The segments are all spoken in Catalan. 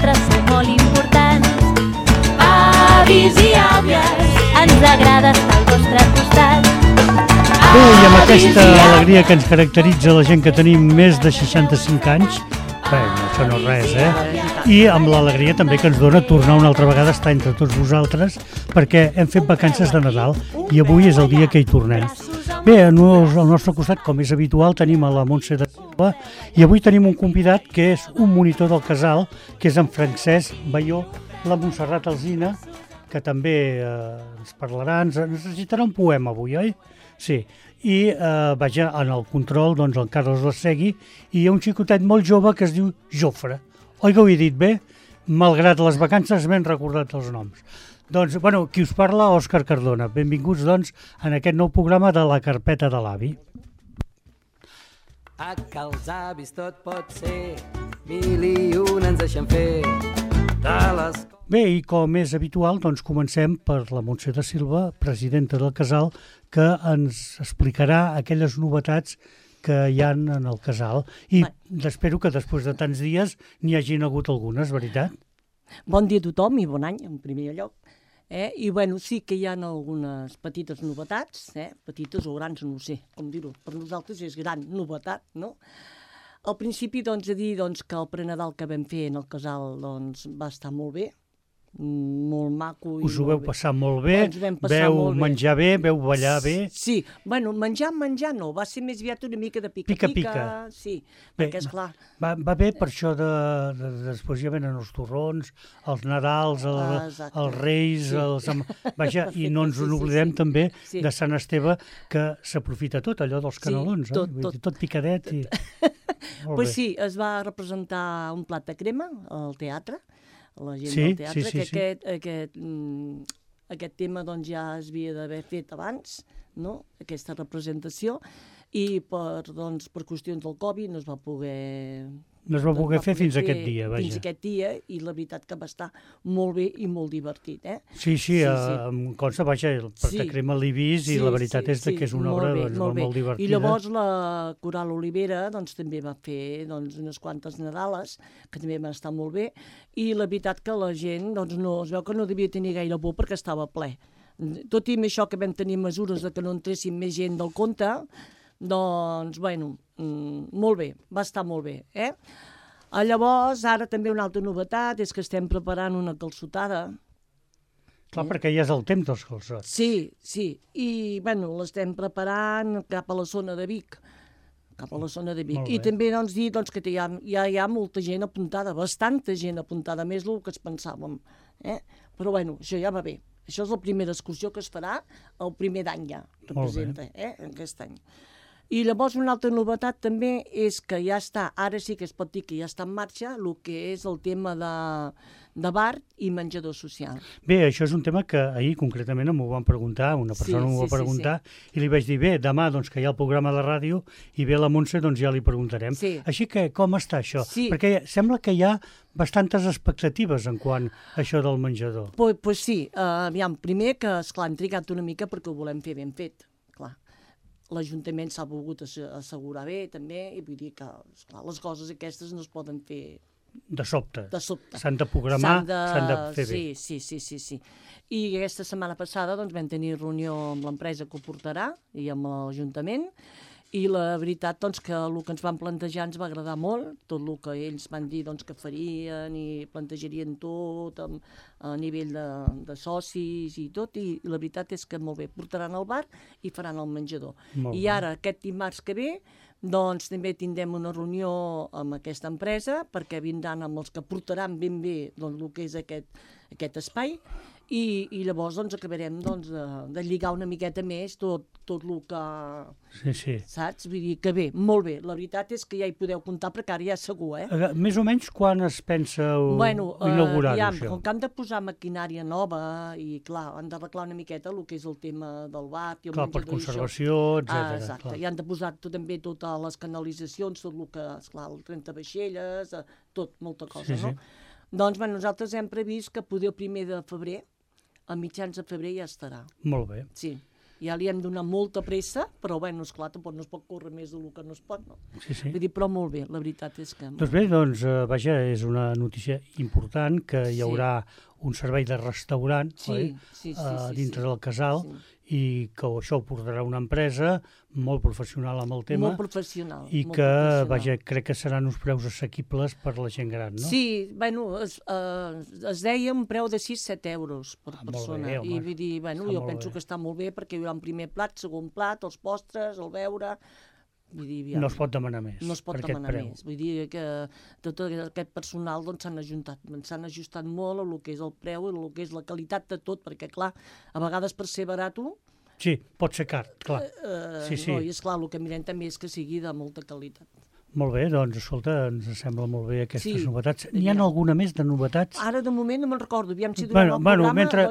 nosaltres som molt importants. Avis i àvies, ens agrada estar al vostre costat. Bé, i amb aquesta alegria que ens caracteritza la gent que tenim més de 65 anys, bé, això no és res, I amb l'alegria també que ens dona tornar una altra vegada a estar entre tots vosaltres, perquè hem fet vacances de Nadal i avui és el dia que hi tornem. Bé, al nostre costat, com és habitual, tenim a la Montse de Silva i avui tenim un convidat que és un monitor del casal, que és en Francesc Baió, la Montserrat Alsina, que també ens parlarà, ens necessitarà un poema avui, oi? Sí, i vaja, en el control, doncs, el Carles Lassegui, i hi ha un xicotet molt jove que es diu Jofre. Oi que ho he dit bé? Malgrat les vacances m'hem recordat els noms. Doncs, bueno, qui us parla, Òscar Cardona. Benvinguts, doncs, en aquest nou programa de la carpeta de l'avi. A que els avis tot pot ser, 1001 ens deixen fer de les... Bé, i com és habitual, doncs comencem per la Montse de Silva, presidenta del casal, que ens explicarà aquelles novetats que hi ha en el casal. I espero que després de tants dies n'hi hagin hagut algunes, veritat? Bon dia a tothom i bon any, en primer lloc. I bueno, sí que hi ha algunes petites novetats, petites o grans, no ho sé com dir-ho. Per nosaltres és gran novetat, no? Al principi, doncs, he de dir que el prenadal que vam fer en el casal va estar molt bé, molt maco. Us ho veu passar molt bé, veu menjar bé, veu ballar bé. Sí, bueno, menjar no, va ser més aviat una mica de pica-pica. Sí, perquè esclar... Va bé per això després ja venen els torrons, els Nadals, els Reis, vaja, i no ens n'oblidem també de Sant Esteve, que s'aprofita tot, allò dels canelons, tot picadet. Doncs sí, es va representar un plat de crema al teatre, la gent del teatre, que aquest tema ja es havia d'haver fet abans, no? Aquesta representació, i per qüestions del Covid no es va poder... No es va poder fer fins aquest dia, vaja. Fins aquest dia, i la veritat que va estar molt bé i molt divertit, Sí, em consta, vaja, el Prat Crema l'he vist i la veritat és que és una obra molt divertida. I llavors la Coral Olivera també va fer unes quantes Nadales, que també van estar molt bé, i la veritat que la gent es veu que no devia tenir gaire por perquè estava ple. Tot i amb això que vam tenir mesures de que no entressin més gent del compte, doncs, bueno, molt bé, va estar molt bé, Llavors, ara també una altra novetat és que estem preparant una calçotada. Clar, perquè ja és el temps dels calçots. Sí, i, bueno, l'estem preparant cap a la zona de Vic. I també, dir que ja hi ha molta gent apuntada, bastanta gent apuntada, més del que es pensàvem, Però, bueno, això ja va bé. Això és la primera excursió que es farà el primer d'any ja, representa, aquest any. I llavors una altra novetat també és que ja està, ara sí que es pot dir que ja està en marxa, el que és el tema de bar i menjador social. Bé, això és un tema que ahir concretament m'ho van preguntar, una persona m'ho va preguntar, i li vaig dir, bé, demà que hi ha el programa de ràdio i ve la Montse, ja li preguntarem. Així que com està això? Perquè sembla que hi ha bastantes expectatives en quant a això del menjador. Doncs sí, aviam, primer que, esclar, hem trigat una mica perquè ho volem fer ben fet, clar. L'Ajuntament s'ha volgut assegurar bé, també, i vull dir que, esclar, les coses aquestes no es poden fer... De sobte. S'han de programar, s'han de fer bé. Sí. I aquesta setmana passada vam tenir reunió amb l'empresa que ho portarà i amb l'Ajuntament, i la veritat que el que ens van plantejar ens va agradar molt, tot el que ells van dir que farien i plantejarien tot a nivell de socis i tot, i la veritat és que molt bé, portaran el bar i faran el menjador. I ara, aquest dimarts que ve, també tindrem una reunió amb aquesta empresa perquè vindran amb els que portaran ben bé el que és aquest espai, i llavors acabarem de lligar una miqueta més tot el que... Sí. Saps? Vull dir que bé, molt bé. La veritat és que ja hi podeu comptar perquè ara ja és segur, Més o menys quan es pensa inaugurar-ho, això? Com que han de posar maquinària nova i, clar, han d'arreglar una miqueta el que és el tema del bar i el menjador. Per conservació, etcètera. Exacte, i han de posar també totes les canalitzacions, tot el que, esclar, el trentavaixelles, tot, molta cosa, no? Doncs nosaltres hem previst que poder el 1 de febrer, a mitjans de febrer ja estarà. Molt bé. Sí. Ja li hem donat molta pressa, però, bueno, esclar, tampoc no es pot córrer més del que no es pot, no? Sí, sí. Vull dir, però molt bé, la veritat és que... Doncs bé, vaja, és una notícia important que hi haurà un servei de restaurant dintre del casal i que això ho portarà una empresa molt professional amb el tema. Molt professional. I que, vaja, crec que seran uns preus assequibles per la gent gran, no? Sí, bueno, es deia un preu de 6-7 euros per persona. Molt bé, home. I vull dir, bueno, jo penso que està molt bé perquè hi haurà un primer plat, segon plat, els postres, el beure... Vull dir, no es pot demanar més. No es pot demanar més. Vull dir que tot aquest personal s'han ajustat molt a el que és el preu i a el que és la qualitat de tot, perquè, clar, a vegades per ser barato... Sí, pot ser car, clar. No, i esclar, el que mirem també és que sigui de molta qualitat. Molt bé, doncs, escolta, ens sembla molt bé aquestes novetats. N'hi ha alguna més de novetats? Ara, de moment, no me'n recordo. Aviam si durant el programa... Mentre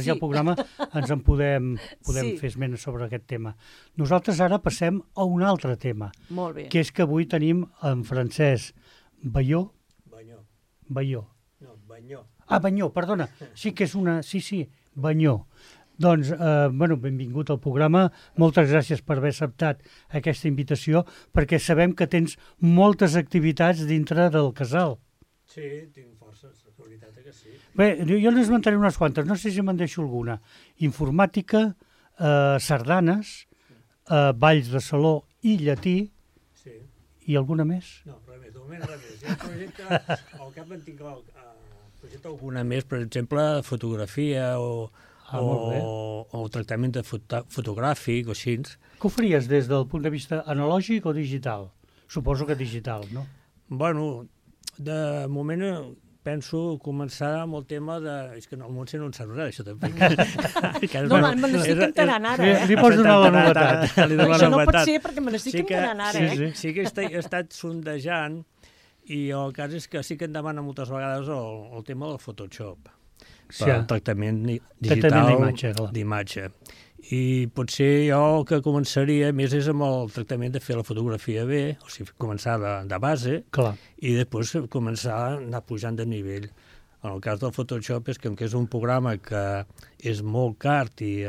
hi ha el programa ens en podem fer esment sobre aquest tema. Nosaltres ara passem a un altre tema. Molt bé. Que és que avui tenim en Francesc Banyó. Banyó. No, Banyó. Ah, Banyó, perdona. Sí que és una... Sí, Banyó. Doncs, benvingut al programa. Moltes gràcies per haver acceptat aquesta invitació, perquè sabem que tens moltes activitats dintre del casal. Sí, tinc forces, la veritat que sí. Bé, jo n'esmentaré unes quantes, no sé si me'n deixo alguna. Informàtica, sardanes, balls de saló i llatí, i alguna més? No, res més, de moment res més. Hi ha un projecte, al cap en tinc alguna més, per exemple, fotografia o tractament fotogràfic o així. Què ho faries des del punt de vista analògic o digital? Suposo que digital, no? Bueno, de moment penso començar amb el tema de... És que el Montse no en sap res, això també. No, me n'estic enterant ara, Li pots donar la novetat. Això no pot ser perquè me n'estic enterant ara, Sí que he estat sondejant i el cas és que sí que em demana moltes vegades el tema del Photoshop. Per tractament digital d'imatge. I potser jo el que començaria més és amb el tractament de fer la fotografia bé, o sigui, començar de base, i després començar a anar pujant de nivell. En el cas del Photoshop és que és un programa que és molt car i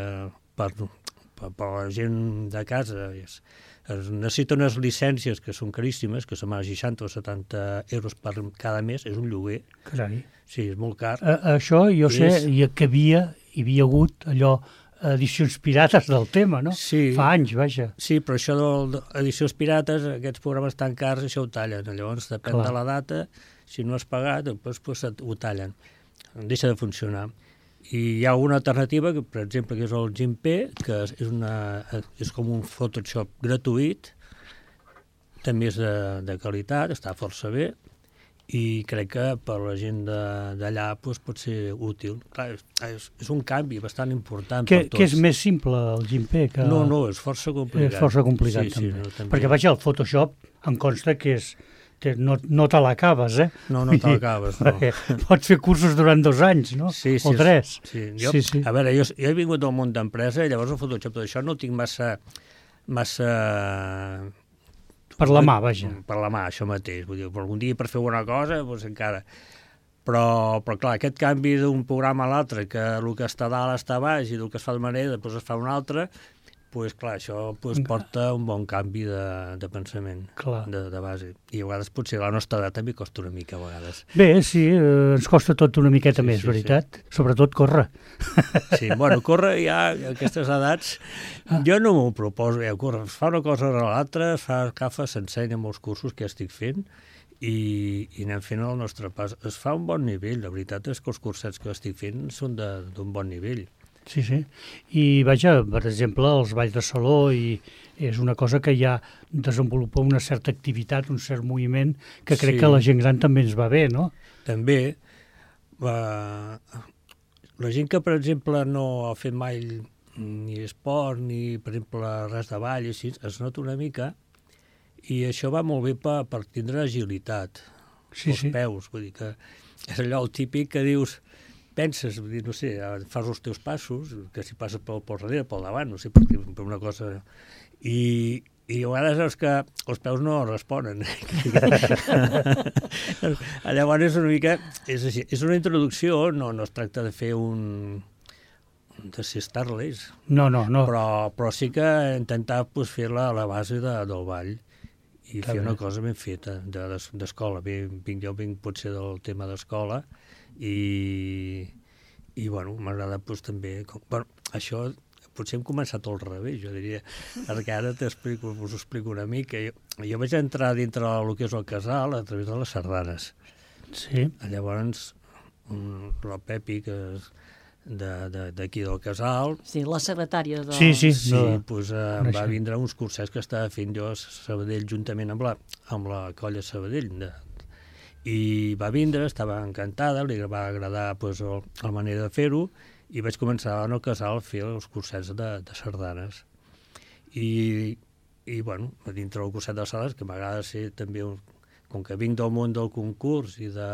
per la gent de casa es necessita unes llicències que són caríssimes, que són 60 o 70 euros per cada mes, és un lloguer. Carai. Sí, és molt car. Això jo sé que hi havia hagut allò, edicions pirates del tema, no? Sí. Fa anys, vaja. Sí, però això d'edicions pirates, aquests programes tan cars, això ho tallen. Llavors, depèn de la data, si no has pagat, doncs ho tallen. Deixa de funcionar. I hi ha una alternativa, que, per exemple, que és el GIMP, que és com un Photoshop gratuït, també és de qualitat, està força bé, i crec que per la gent d'allà pot ser útil. Clar, és un canvi bastant important per tots. Que és més simple el GIMP? No, és força complicat. És força complicat, també. Perquè, vaja, el Photoshop em consta que no te l'acabes, eh? No te l'acabes, no. Pots fer cursos durant 2 anys, no? Sí. O 3. Sí. A veure, jo he vingut del món d'empresa i llavors el Photoshop, tot això no ho tinc massa... Per la mà, vaja. Per la mà, això mateix. Vull dir, algun dia per fer alguna cosa, doncs encara... Però clar, aquest canvi d'un programa a l'altre, que el que està a dalt està a baix i el que es fa d'una manera, després es fa una altra, doncs clar, això porta un bon canvi de pensament, de base. I a vegades potser la nostra edat també costa una mica, a vegades. Bé, sí, ens costa tot una miqueta més, veritat? Sí. Sobretot córrer. Sí, bueno, córrer ja a aquestes edats, jo no m'ho proposo, córrer, es fa una cosa o l'altra, s'ensenya molts cursos que estic fent, i anem fent el nostre pas. Es fa un bon nivell, la veritat és que els cursets que estic fent són d'un bon nivell. Sí. I, vaja, per exemple, els balls de saló és una cosa que ja desenvolupa una certa activitat, un cert moviment, que crec que a la gent gran també ens va bé, no? També. La gent que, per exemple, no ha fet mai ni esport, ni, per exemple, res de ball, així, es nota una mica, i això va molt bé per tindre agilitat, els peus. Vull dir que és allò el típic que dius... Penses, no sé, fas els teus passos, que si passes pel darrere, pel davant, no sé, per una cosa... I a vegades veus que els peus no responen. Llavors és una mica... És així. És una introducció, no es tracta de fer un ser Starless. No. Però sí que intentar fer-la a la base del ball i fer una cosa ben feta d'escola. Jo vinc potser del tema d'escola i bueno, m'agrada també... Bueno, això potser hem començat al revés, jo diria, perquè ara us ho explico una mica. Jo vaig entrar dintre del que és el casal a través de les sardanes. Sí. Llavors, el Pepi, que és d'aquí del casal... Sí, la secretària de... Sí. Doncs em va vindre uns cursets que estava fent jo a Sabadell juntament amb la colla Sabadell. I va vindre, estava encantada, li va agradar la manera de fer-ho, i vaig començar en el casal a fer els cursets de sardanes. I bueno, dintre del curset de sardanes, que m'agrada ser també, com que vinc del món del concurs i de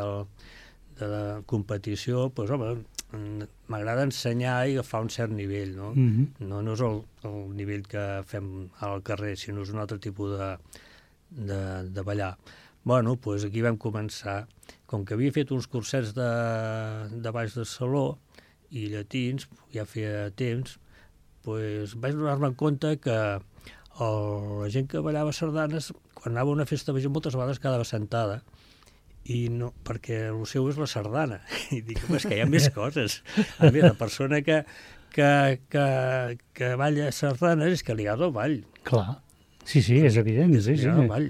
la competició, doncs, home, m'agrada ensenyar i agafar un cert nivell, no? No és el nivell que fem al carrer, sinó és un altre tipus de ballar. Bueno, doncs aquí vam començar. Com que havia fet uns cursets de baix de saló i llatins, ja feia temps, doncs vaig donar-me compte que la gent que ballava sardanes, quan anava a una festa major, moltes vegades quedava sentada, i no, perquè el seu és la sardana. I dic, és que hi ha més coses. A més, la persona que balla sardanes és que li agrada el ball. Clar, sí, és evident. Sí. El ball.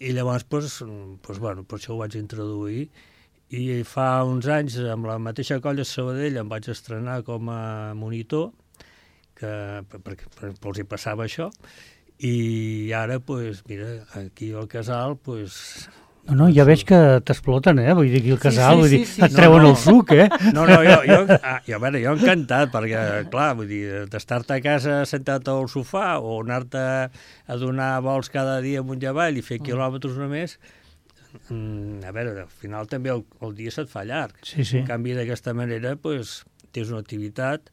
I llavors, bueno, per això ho vaig introduir, i fa uns anys, amb la mateixa colla de Sabadell, em vaig estrenar com a monitor, perquè els hi passava això, i ara, mira, aquí al casal, No, ja veig que t'exploten, vull dir, aquí al casal, vull dir, et treuen el suc, No, jo encantat, perquè, clar, vull dir, d'estar-te a casa sentat al sofà o anar-te a donar vols cada dia amunt i avall i fer quilòmetres només, a veure, al final també el dia se't fa llarg. En canvi, d'aquesta manera, tens una activitat,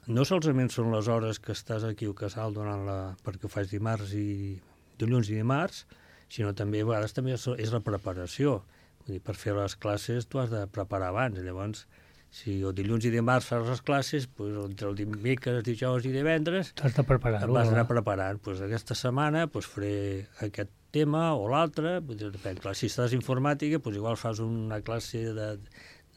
no solament són les hores que estàs aquí al casal perquè ho faig dilluns i dimarts, sinó també a vegades també és la preparació. Vull dir, per fer les classes tu has de preparar abans. Llavors, si el dilluns i dimarts fas les classes, entre el dimecres, dijous i divendres t'has de preparar. Vas anar preparant. Aquesta setmana faré aquest tema o l'altre. Depèn. Si estàs informàtica, igual fas una classe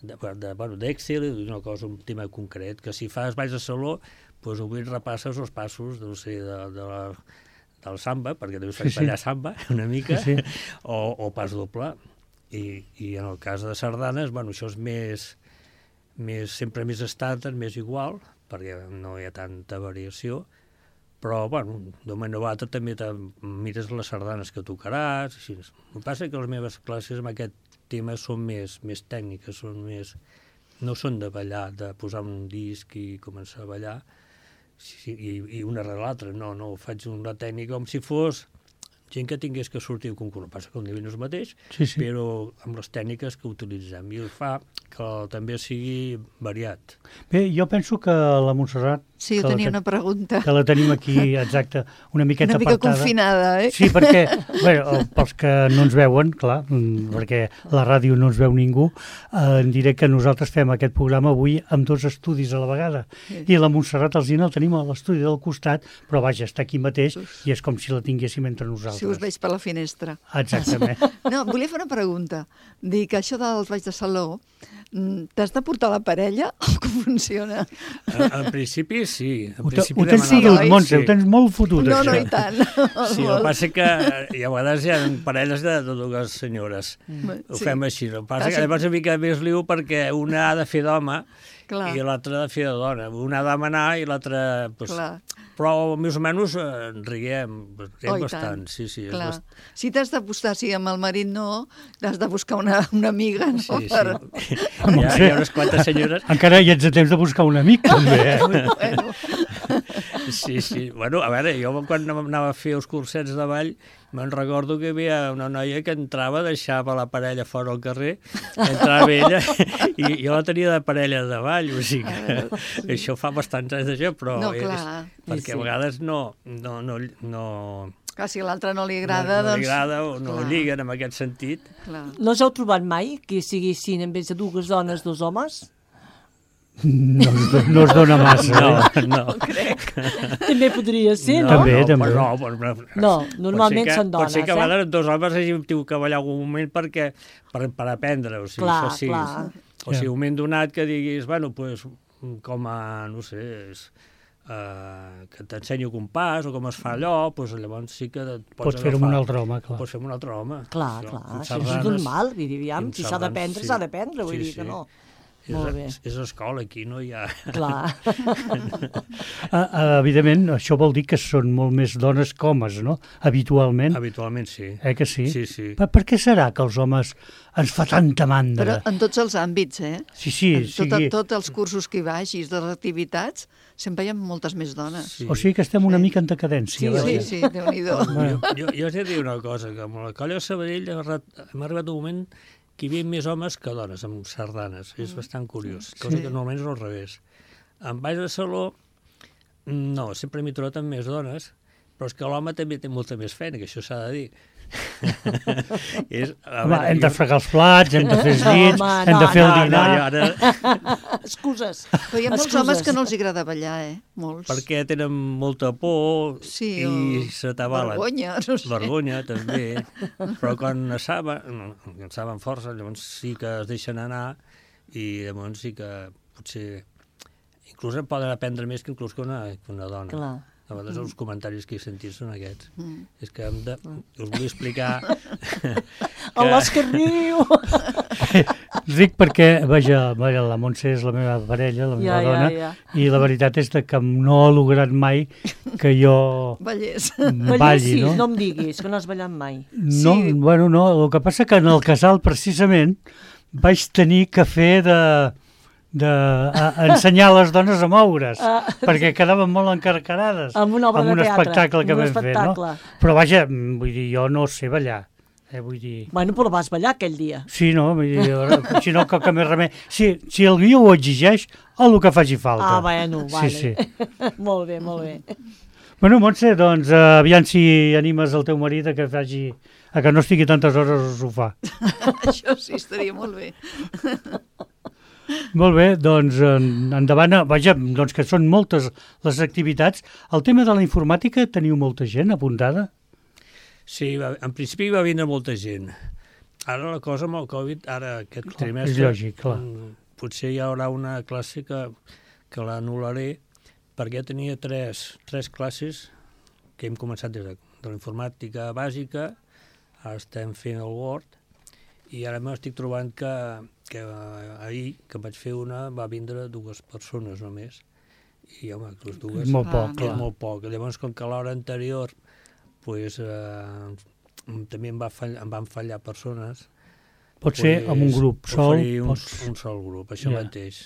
d'Excel, una cosa, un tema concret, que si fas balls de saló, avui repasses els passos, no sé, del samba, perquè també faig ballar samba una mica, o pas doble. I en el cas de sardanes, això és sempre més estàndard, més igual, perquè no hi ha tanta variació, però, d'un moment o l'altre també mires les sardanes que tocaràs. El que passa que les meves classes amb aquest tema són més tècniques, no són de ballar, de posar un disc i començar a ballar, i una rere l'altra, no, faig una tècnica com si fos gent que tingués que sortir al concurs. Passa que el nivell no és el mateix, però amb les tècniques que utilitzem, i fa que també sigui variat. Bé, jo penso que la Montserrat... Sí, jo tenia una pregunta. Que la tenim aquí, exacte, una miqueta apartada. Una mica confinada, Sí, perquè, pels que no ens veuen, clar, perquè la ràdio no ens veu ningú, en diré que nosaltres fem aquest programa avui amb 2 estudis a la vegada. I la Montserrat Alsina el tenim a l'estudi del costat, però vaja, està aquí mateix i és com si la tinguéssim entre nosaltres. Si us veig per la finestra. Exactament. No, volia fer una pregunta. Dic, això dels balls de saló, t'has de portar la parella o com funciona? En principi sí. Ho tens fotut, Montse, ho tens molt fotut, això. No, i tant. Sí, el que passa que a vegades hi ha parelles de 2 senyores. Ho fem així. El que passa que llavors una mica més liu perquè una ha de fer d'home i l'altra ha de fer de dona. Una ha de manar i l'altra... Però més o menys riguem bastant. Sí. Si t'has d'apostar, si amb el marit no, t'has de buscar una amiga, no? Sí. Hi ha unes quantes senyores... Encara hi ets a temps de buscar un amic, també, Sí. Bueno, a veure, jo quan anava a fer els cursets de ball, me'n recordo que hi havia una noia que entrava, deixava la parella fora al carrer, entrava ella, i jo la tenia de parella de ball, o sigui que això fa bastants anys d'això, però perquè a vegades no... Clar, si a l'altre no li agrada, no li agrada o no lliguen en aquest sentit. No us heu trobat mai que siguessin, en vez de 2 dones, 2 homes? No es dona massa. No. També podria ser, no? També. No, normalment són dones, Pot ser que a vegades dos homes hàgim tingut que ballar algun moment per aprendre, o sigui, clar, això sí. clar. O sigui, un moment donat que diguis, bueno, pues, com a, no sé, que t'ensenyo compàs o com es fa allò, doncs llavors sí que pots fer-ho amb un altre home, clar. Pots fer-ho amb un altre home. Clar, això és normal, diríem, si s'ha d'aprendre, s'ha d'aprendre, vull dir que no. Molt bé. És escola, aquí no hi ha... Clar. Evidentment, això vol dir que són molt més dones que homes, no? Habitualment. Habitualment, sí. Que sí? Sí. Per què serà que els homes ens fa tanta mandra? Però en tots els àmbits, Sí. Tots els cursos que hi vagis, de les activitats, sempre hi ha moltes més dones. Sí. O sigui que estem una mica en decadència. Sí, Déu-n'hi-do. Jo us he de dir una cosa, que amb la colla de Sabadell hem arribat un moment que hi havia més homes que dones amb sardanes. És bastant curiós, cosa que normalment és al revés. En Baix de Saló, no, sempre m'he trobat amb més dones, però és que l'home també té molta més feina, que això s'ha de dir. Hem de fregar els plats, hem de fer els llits, hem de fer el dinar. Excuses. Però hi ha molts homes que no els agrada ballar, Molts. Perquè tenen molta por i s'atabalen. Vergonya, no sé. Vergonya, també. Però quan saben força, llavors sí que es deixen anar i llavors sí que potser inclús en poden aprendre més que inclús que una dona. Clar. A vegades els comentaris que he sentit són aquests. És que us vull explicar... L'Òscar riu! Ric perquè, vaja, la Montse és la meva parella, la meva dona, i la veritat és que no ha lograt mai que jo balli, no? No em diguis, que no has ballat mai. No, bueno, no, el que passa que en el casal, precisament, vaig tenir que fer d'ensenyar les dones a moure's, perquè quedaven molt encarcarades amb una obra de teatre, espectacle que vam fer, no? Però vaja, vull dir, jo no sé ballar. Vull dir... Bueno, però vas ballar aquell dia. Sí, no? Vull dir, si no, que més remei. Si el guió ho exigeix, el que faci falta. Bueno, vale. Sí. Molt bé. Bueno, Montse, doncs, aviam si animes el teu marit a que no estigui tantes hores al sofà. Això sí, estaria molt bé. Molt bé, doncs endavant. Vaja, doncs que són moltes les activitats. El tema de la informàtica, teniu molta gent apuntada? Sí, en principi va vindre molta gent. Ara la cosa amb el Covid, ara aquest trimestre... És lògic, clar. Potser hi haurà una classe que l'anul·laré, perquè tenia tres classes que hem començat des de la informàtica bàsica, ara estem fent el Word, i ara m'estic trobant que ahir, que vaig fer una, va vindre 2 persones només. I, home, les dues... Molt poc, clar. Molt poc. Llavors, com que l'hora anterior pues, també em van fallar persones... Pot ser amb un grup sol? Un sol grup, això mateix.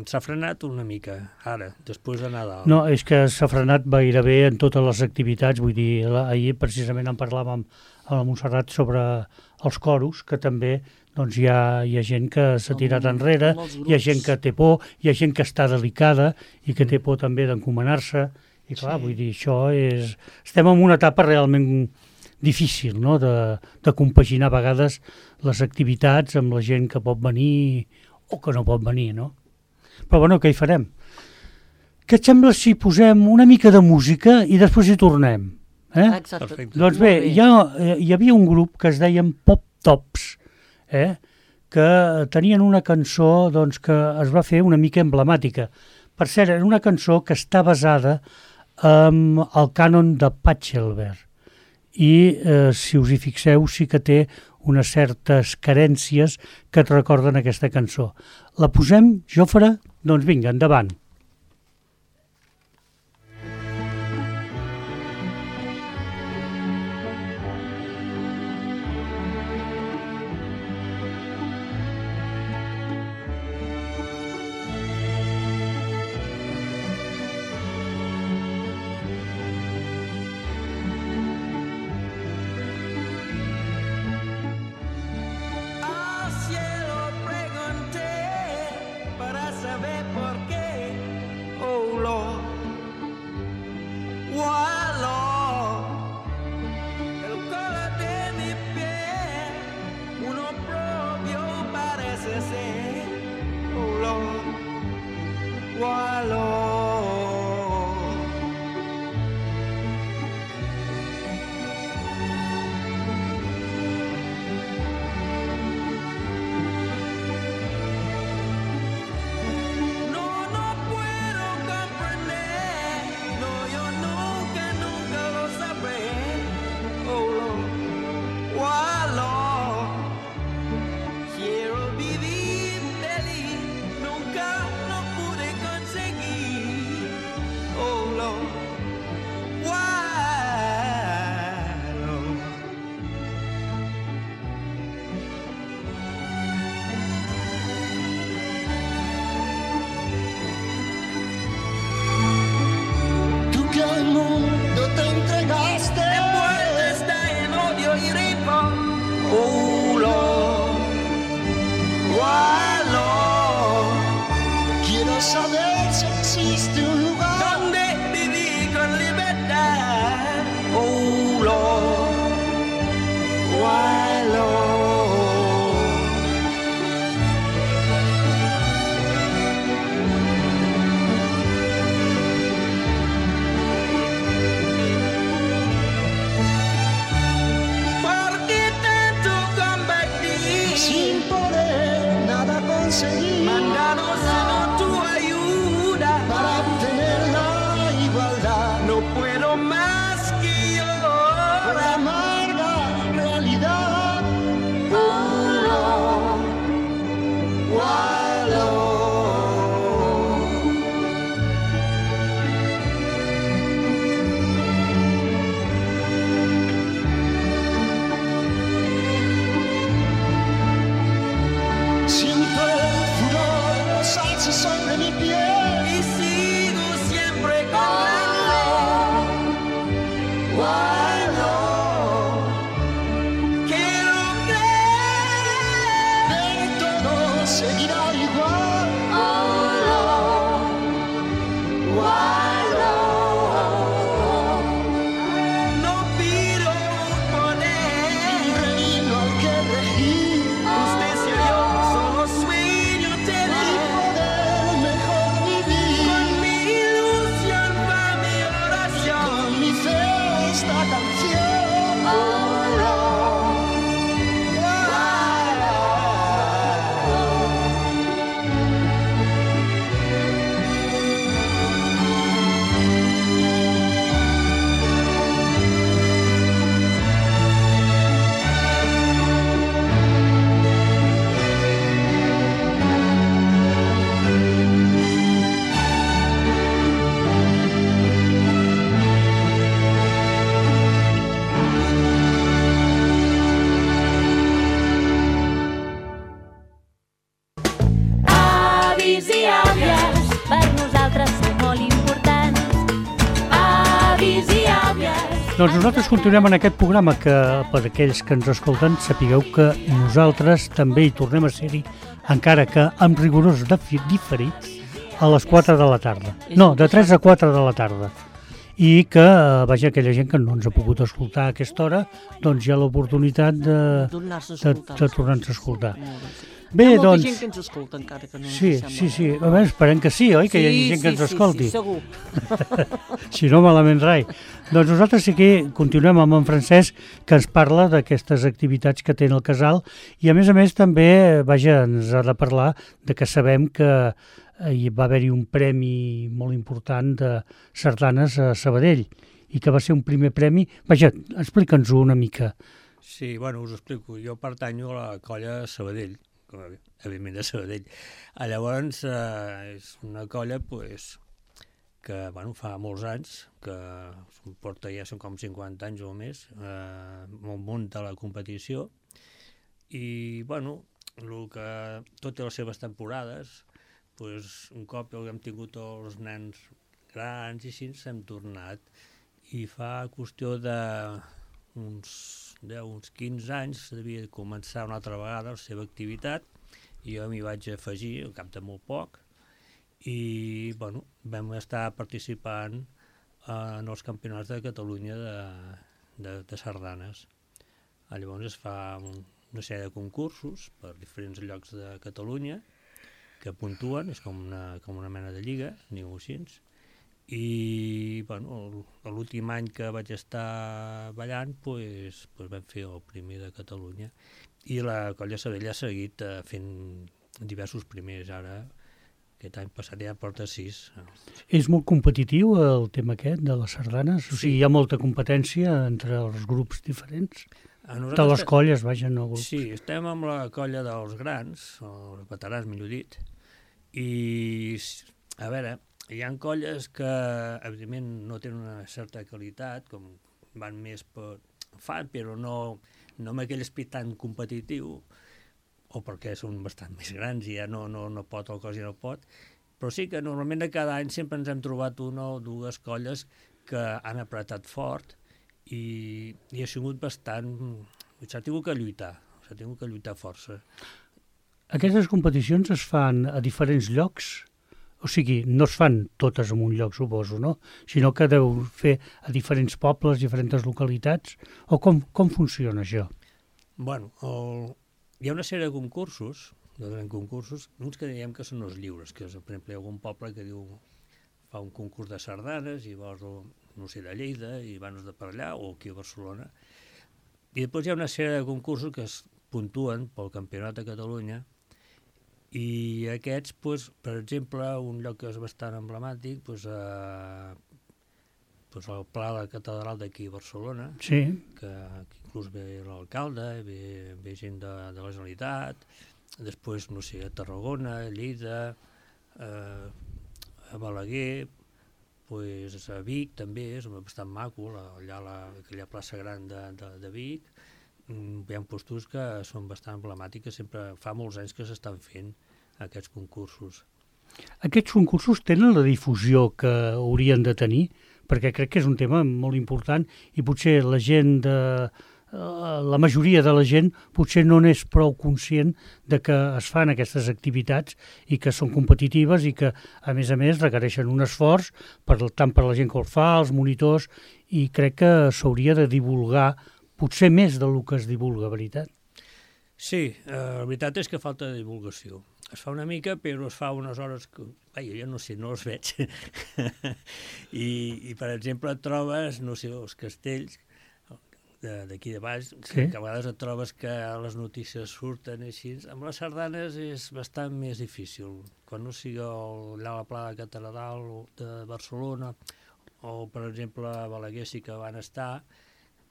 S'ha frenat una mica, ara, després de Nadal. No, és que s'ha frenat gairebé en totes les activitats, vull dir, ahir precisament en parlàvem amb la Montserrat sobre els coros, que també doncs, hi ha gent que s'ha tirat enrere, hi ha gent que té por, hi ha gent que està delicada i que té por també d'encomanar-se, i clar, vull dir, això és... Estem en una etapa realment difícil, no?, de compaginar a vegades les activitats amb la gent que pot venir o que no pot venir, no? Però bueno, què hi farem? Què et sembla si posem una mica de música i després hi tornem? Exacte. Doncs bé, hi havia un grup que es deien Pop Tops, que tenien una cançó doncs, que es va fer una mica emblemàtica. Per cert, era una cançó que està basada en el cànon de Pachelbel i, si us hi fixeu, sí que té unes certes carències que et recorden aquesta cançó. La posem, Jofre? Doncs vinga, endavant. Al cielo pregunté para saber por qué y sigo siempre cantando. Quiero creer que todo seguirá igual. No pido un poder, un reino al que regir. Usted se yo solo sueño tener y poder mejor vivir. Con mi ilusión va mi oración, con mi fe esta canción. Avis i àvies, per nosaltres sou molt importants. Avis i àvies. Doncs nosaltres continuem en aquest programa que, per aquells que ens escolten, sapigueu que nosaltres també hi tornem a ser-hi, encara que amb rigorosos diferits, a les 4 de la tarda. No, de 3 a 4 de la tarda. I que, vaja, aquella gent que no ens ha pogut escoltar a aquesta hora, doncs hi ha l'oportunitat de tornar-nos a escoltar. Bé, hi ha molta doncs... gent que ens escolta encara que no ens Sí, sembla. sí, sí. A veure, esperem que sí, oi? Que hi hagi gent que ens escolti. Sí, segur. Si no, malament rai. Doncs nosaltres sí que continuem amb en Francesc, que ens parla d'aquestes activitats que té el casal, i a més també, vaja, ens ha de parlar de que sabem que hi va haver-hi un premi molt important de sardanes a Sabadell, i que va ser un primer premi. Vaja, explica'ns-ho una mica. Sí, bueno, us ho explico. Jo pertanyo a la colla Sabadell, com evidentment de Sabadell. Llavors, és una colla pues, que bueno, fa molts anys, que porta ja són com 50 anys o més, molt munt de la competició, i bueno, tot té les seves temporades, pues, un cop que hem tingut els nens grans i així ens hem tornat, i fa qüestió d'uns 15 anys devia començar una altra vegada la seva activitat, i jo m'hi vaig afegir al cap de molt poc, i bueno, vam estar participant en els campionats de Catalunya de sardanes. Llavors es fa una sèrie de concursos per diferents llocs de Catalunya que puntuen, és com una mena de lliga, diguem-ho així, i bueno, l'últim any que vaig estar ballant pues vam fer el primer de Catalunya, i la colla Sabadell ha seguit fent diversos primers. Ara aquest any passat ja porta 6. És molt competitiu el tema aquest de les sardanes? O sigui, hi ha molta competència entre els grups diferents? De les colles, vaja, no grups. Sí, estem amb la colla dels grans, els veterans, millor dit, i a veure, hi ha colles que evidentment no tenen una certa qualitat, com van més per fan, però no amb aquell esperit tan competitiu, o perquè són bastant més grans i ja no pot el cos i no pot, però sí que normalment de cada any sempre ens hem trobat una o dues colles que han apretat fort i ha sigut bastant... s'ha tingut que lluitar força. Aquestes competicions es fan a diferents llocs? O sigui, no es fan totes en un lloc, suposo, no? Sinó que deu fer a diferents pobles, diferents localitats? O com funciona això? Bueno, hi ha una sèrie de concursos, uns que diem que són els lliures, que és, per exemple, hi ha algun poble que fa un concurs de sardanes i vols, no sé, de Lleida, i van de per allà, o aquí a Barcelona. I després hi ha una sèrie de concursos que es puntuen pel Campionat de Catalunya, i aquests, per exemple, un lloc que és bastant emblemàtic, el Pla de la Catedral d'aquí a Barcelona, sí, que inclús ve l'alcalde, ve gent de la Generalitat, després, no sé, a Tarragona, a Lleida, a Balaguer, a Vic també, és bastant maco, allà aquella plaça gran de Vic. Hi ha postos que són bastant emblemàtics, sempre fa molts anys que s'estan fent aquests concursos. Aquests concursos tenen la difusió que haurien de tenir? Perquè crec que és un tema molt important i potser la gent la majoria de la gent potser no n'és prou conscient de que es fan aquestes activitats i que són competitives i que, a més, requereixen un esforç tant per la gent que el fa, els monitors, i crec que s'hauria de divulgar potser més del que es divulga, veritat? Sí, la veritat és que falta divulgació. Es fa una mica, però es fa unes hores que, jo no sé, no els veig. I, per exemple, et trobes, no sé, els castells d'aquí de baix, que a vegades et trobes que les notícies surten així. Amb les sardanes és bastant més difícil. Quan no sigui allà a la Pla de Catedral de Barcelona, o, per exemple, a Balaguer sí que van estar,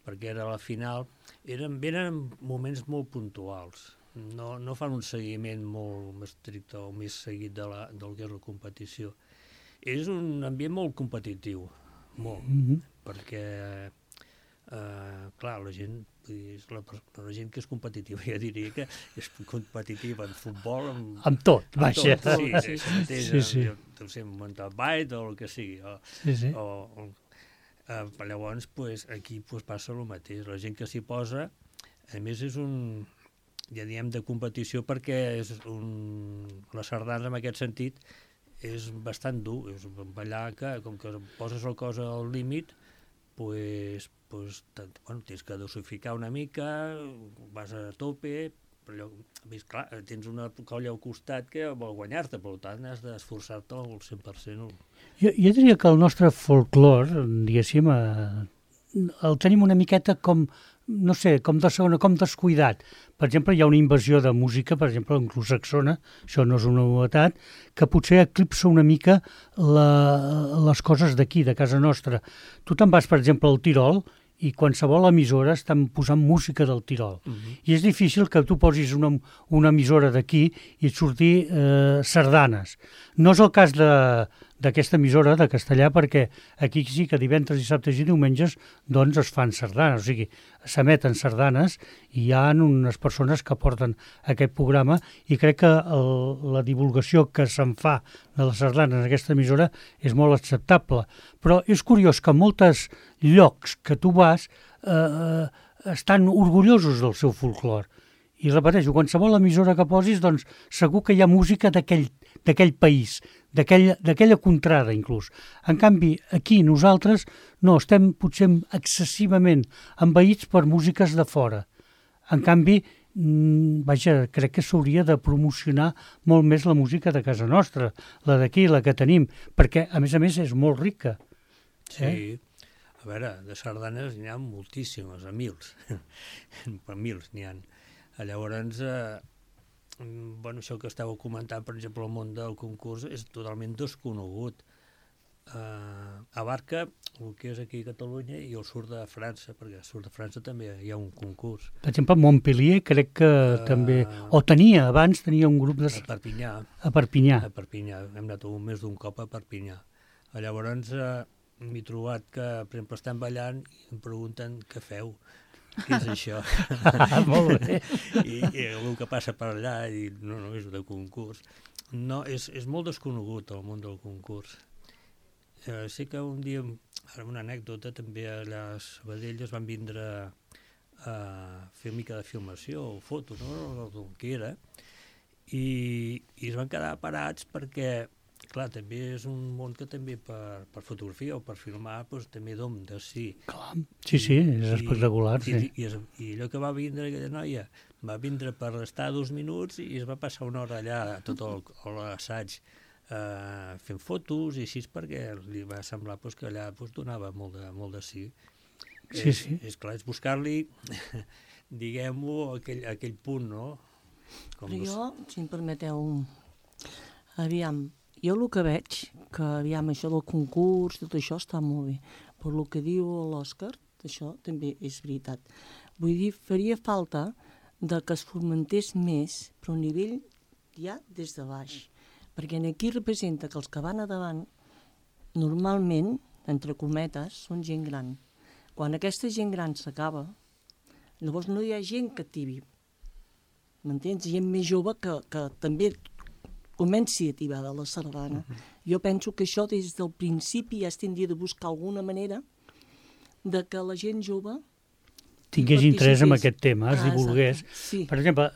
perquè era la final, venen moments molt puntuals. No fan un seguiment molt estricte o més seguit del que és la competició. És un ambient molt competitiu, molt, perquè, clar, la gent que és competitiva, ja diria que és competitiva en futbol, amb tot, vaja. Sí. Deu ser un mountain o el que sigui. Llavors, aquí passa el mateix. La gent que s'hi posa, a més, és un... ja diem de competició perquè la sardana en aquest sentit és bastant dur, és ballar que com que poses el cos al límit tens que dosificar una mica, vas a tope, però clar, tens una colla al costat que vol guanyar-te, per tant has d'esforçar-te al 100%. Jo diria que el nostre folklore, diguéssim, el tenim una miqueta com, no sé, com de segona, com descuidat. Per exemple, hi ha una invasió de música, per exemple, anglosaxona, això no és una novetat, que potser eclipsa una mica les coses d'aquí, de casa nostra. Tu te'n vas, per exemple, al Tirol, i qualsevol emissora estan posant música del Tirol. I és difícil que tu posis una emissora d'aquí i et surti sardanes. No és el cas d'aquesta emissora de Castellà, perquè aquí sí que divendres, dissabtes i diumenges doncs es fan sardanes, o sigui, s'emeten sardanes i hi ha unes persones que porten aquest programa i crec que la divulgació que se'n fa de les sardanes en aquesta emissora és molt acceptable. Però és curiós que molts llocs que tu vas estan orgullosos del seu folclore. I repeteixo, qualsevol emissora que posis, doncs segur que hi ha música d'aquell país, d'aquella contrada inclús. En canvi, aquí nosaltres no, estem potser excessivament envaïts per músiques de fora. En canvi, crec que s'hauria de promocionar molt més la música de casa nostra, la d'aquí, la que tenim, perquè a més és molt rica. Sí, a veure, de sardanes n'hi ha moltíssimes, a mils, per mils n'hi ha. Llavors, això que estàveu comentant, per exemple, el món del concurs és totalment desconegut. Abarca el que és aquí a Catalunya i el sud de França, perquè al sud de França també hi ha un concurs. Per exemple, a Montpellier crec que també... O abans tenia un grup de... A Perpinyà. A Perpinyà. A Perpinyà. Hem anat més d'un cop a Perpinyà. Llavors m'he trobat que, per exemple, estan ballant i em pregunten què feu. Què és això? Molt bé. I el que passa per allà, i no, és de concurs. No, és molt desconegut el món del concurs. Sé que un dia, ara una anècdota, també allà a Sabadell es van vindre a fer una mica de filmació o foto, no? El que era, i es van quedar parats perquè, clar, també és un món que també per fotografia o per filmar també dom de sí. Clar, sí, és espectacular. I allò que va vindre aquella noia, va vindre per estar 2 minuts i es va passar una hora allà, tot l'assaig, fent fotos i així, perquè li va semblar que allà donava molt de sí. Sí. És clar, és buscar-li, diguem-ho, aquell punt, no? Però jo, si em permeteu, aviam, jo el que veig, que aviam, això del concurs, tot això està molt bé, però el que diu l'Òscar, això també és veritat. Vull dir, faria falta que es fomentés més, però a nivell ja des de baix. Perquè aquí representa que els que van a davant, normalment, entre cometes, són gent gran. Quan aquesta gent gran s'acaba, llavors no hi ha gent que tibi. M'entens? Gent més jove que també comenci a tibar de la sardana. Jo penso que això des del principi ja es tindria de buscar alguna manera de que la gent jove tingués interès en aquest tema, es divulgués. Sí. Per exemple,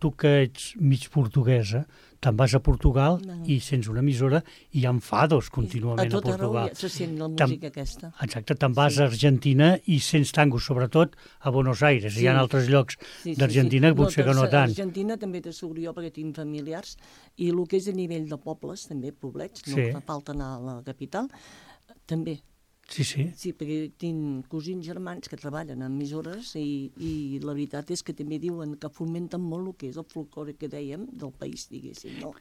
tu que ets mig portuguesa, te'n vas a Portugal i sents una emissora i hi ha fados contínuament a Portugal. A tot arreu se sent la música aquesta. Exacte, te'n vas a Argentina i sents tangos, sobretot a Buenos Aires. Hi ha altres llocs d'Argentina que potser que no tant. A Argentina també t'asseguro jo perquè tinc familiars i el que és a nivell de pobles, també, poblets, no fa falta anar a la capital, també. Sí, sí. Sí, perquè tinc cosins germans que treballen en emissores i la veritat és que també diuen que fomenten molt el que és el folclore que dèiem del país, diguéssim, no?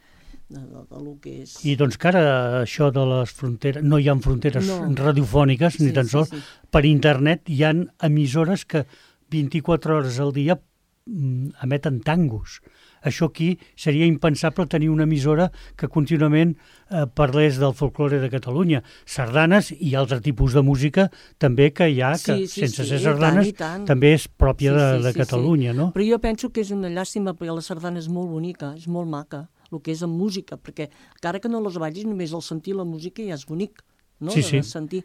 Del que és... I doncs que ara això de les fronteres, no hi ha fronteres radiofòniques, ni tan sols, per internet hi ha emissores que 24 hores al dia emeten tangos. Això aquí seria impensable tenir una emissora que contínuament parlés del folklore de Catalunya. Sardanes i altre tipus de música també que hi ha, que sense ser sardanes també és pròpia de Catalunya, no? Però jo penso que és una llàstima perquè la sardana és molt bonica, és molt maca, el que és en música, perquè encara que no les ballis, només al sentir la música ja és bonic. No? Sentir.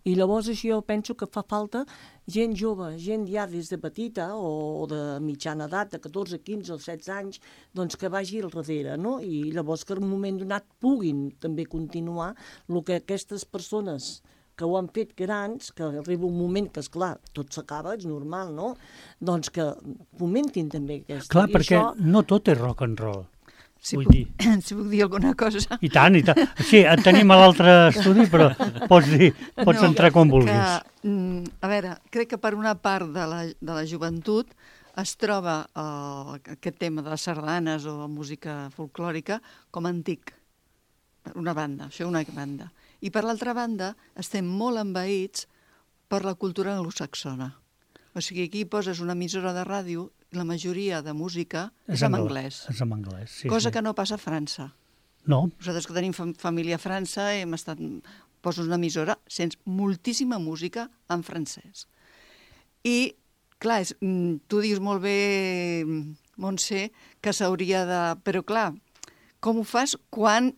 I llavors això jo penso que fa falta gent jove, gent ja des de petita o de mitjana edat, de 14, 15 o 16 anys, doncs que vagi al darrere, no? I llavors que en un moment donat puguin també continuar el que aquestes persones que ho han fet grans, que arriba un moment que, esclar, tot s'acaba, és normal, no? Doncs que fomentin també aquesta. Clar, perquè no tot és rock and roll. Si puc dir alguna cosa. I tant, i tant. Sí, et tenim a l'altre estudi, però pots entrar com vulguis. A veure, crec que per una part de la joventut es troba aquest tema de les sardanes o música folclòrica com antic, per una banda, això una banda. I per l'altra banda estem molt envaïts per la cultura anglosaxona. O sigui, aquí poses una emissora de ràdio i la majoria de música és en anglès. És en anglès, sí. Cosa que no passa a França. No. Nosaltres que tenim família a França poses una emissora, sents moltíssima música en francès. I, clar, tu dius molt bé, Montse, que s'hauria de... Però, clar, com ho fas quan...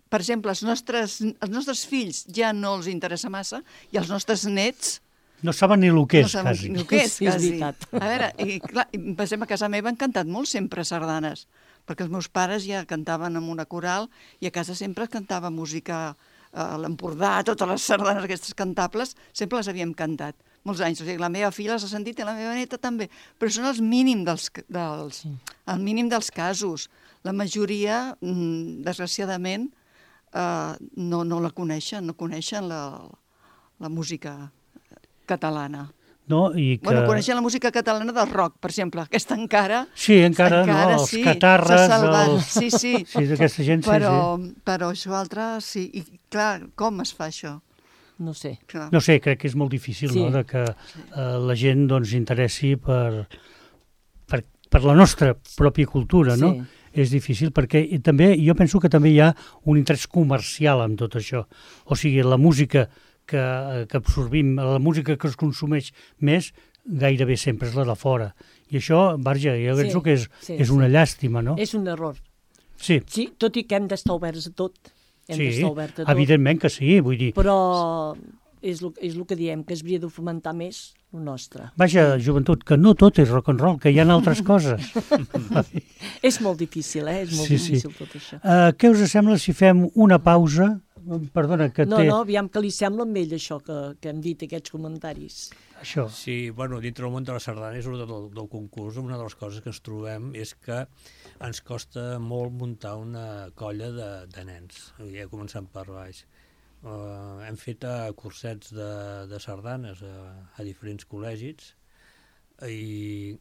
Per exemple, els nostres fills ja no els interessa massa i els nostres nets... No saben ni el que és, quasi. No saben ni el que és, quasi. A veure, i clar, per exemple, a casa meva han cantat molt sempre sardanes, perquè els meus pares ja cantaven en una coral i a casa sempre cantava música a l'Empordà, totes les sardanes aquestes cantables, sempre les havíem cantat molts anys. O sigui, la meva filla les ha sentit i la meva neta també, però són el mínim dels casos. La majoria, desgraciadament, no la coneixen, no coneixen la música catalana. No, i que... Bueno, coneixen la música catalana del rock, per exemple. Aquesta encara... Sí, encara no, els catarres... Sí. Sí, d'aquesta gent, però això altre, sí. I clar, com es fa això? No sé. Clar. No sé, crec que és molt difícil, no?, de que la gent doncs interessi per la nostra pròpia cultura, no? És difícil perquè també, jo penso que també hi ha un interès comercial en tot això. O sigui, la música que absorbim, la música que es consumeix més, gairebé sempre és la de fora. I això, Barja, jo penso que és una llàstima, no? És un error. Sí, tot i que hem d'estar oberts a tot. Evidentment que sí, vull dir... Però és el que diem, que es hauria de fomentar més el nostre. Vaja, joventut, que no tot és rock and roll, que hi ha altres coses. És molt difícil, és molt difícil tot això. Què us sembla si fem una pausa? Perdona, que No, aviam que li sembla amb ell això que hem dit, aquests comentaris. Això. Sí, bueno, dintre del món de la sardana, del concurs, una de les coses que ens trobem és que ens costa molt muntar una colla de nens, ja començant per baix. Hem fet cursets de sardanes a diferents col·legis i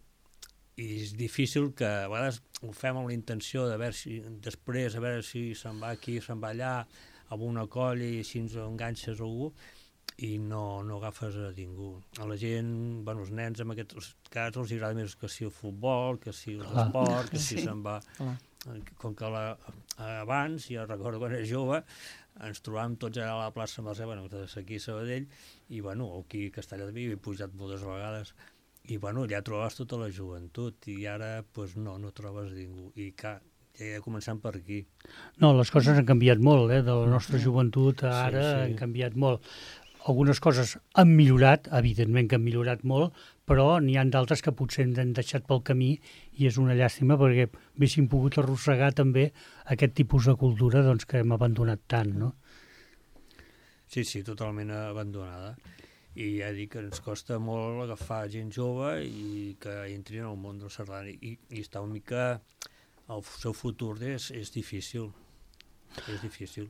és difícil que a vegades ho fem amb la intenció de veure si després, a veure si se'n va aquí, se'n va allà, amb una colla i així ens enganxes algú i no agafes a ningú. A la gent, bueno, els nens en aquests casos els agrada més que si el futbol, que si l'esport, que si se'n va... Com que abans, jo recordo quan era jove, ens trobàvem tots allà a la plaça Mercè, bueno, aquí a Sabadell, i bueno, aquí a Castellà de Vic he pujat moltes vegades, i bueno, allà trobaves tota la joventut, i ara pues, no trobes ningú. I clar, començant per aquí. No, les coses han canviat molt, de la nostra joventut a ara han canviat molt. Algunes coses han millorat, evidentment que han millorat molt, però n'hi ha d'altres que potser ens han deixat pel camí i és una llàstima perquè haguéssim pogut arrossegar també aquest tipus de cultura doncs, que hem abandonat tant, no? Sí, totalment abandonada. I ja dic que ens costa molt agafar gent jove i que entrin al món del sardana i està una mica... El seu futur és difícil. És difícil.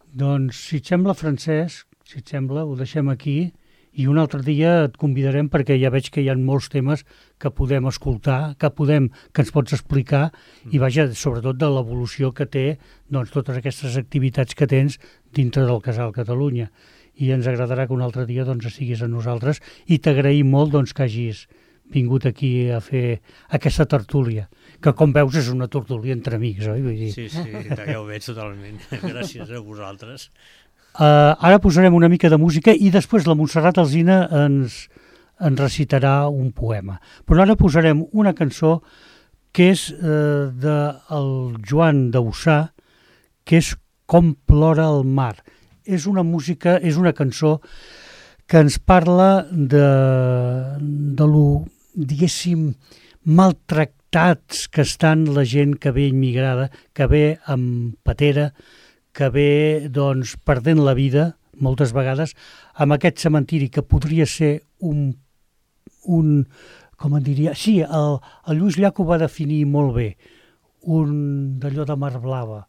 Doncs, si et sembla, Francesc, si et sembla, ho deixem aquí i un altre dia et convidarem perquè ja veig que hi ha molts temes que podem escoltar, que ens pots explicar i vaja, sobretot de l'evolució que té doncs, totes aquestes activitats que tens dintre del Casal Catalunya. I ens agradarà que un altre dia doncs, estiguis amb nosaltres i t'agraïm molt doncs, que hagis vingut aquí a fer aquesta tertúlia, que com veus és una tertúlia entre amics, oi? Vull dir... Sí, ja ho veig totalment. Gràcies a vosaltres. Ara posarem una mica de música i després la Montserrat Alsina ens recitarà un poema. Però ara posarem una cançó que és del Joan Dausà, que és Com plora el mar. És una cançó que ens parla de lo, diguéssim, maltractats que estan la gent que ve immigrada, que ve amb patera, que ve doncs, perdent la vida, moltes vegades, amb aquest cementiri que podria ser un com en diria... Sí, el Lluís Llach ho va definir molt bé, d'allò de mar blava.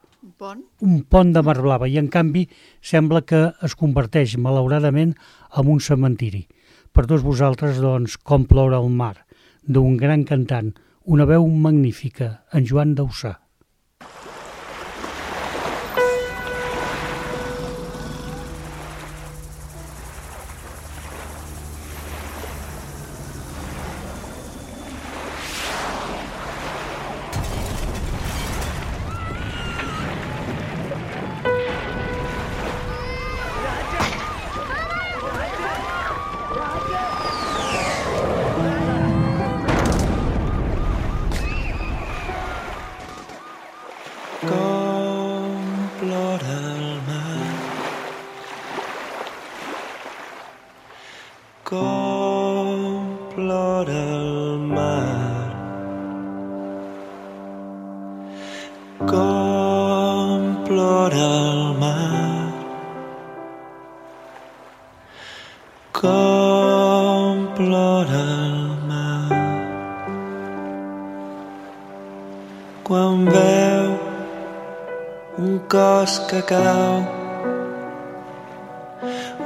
Un pont de mar blava, i en canvi sembla que es converteix, malauradament, en un cementiri. Per tots vosaltres, doncs, Com plora el mar, d'un gran cantant, una veu magnífica, en Joan Dausà. Quan veu un cos que cau,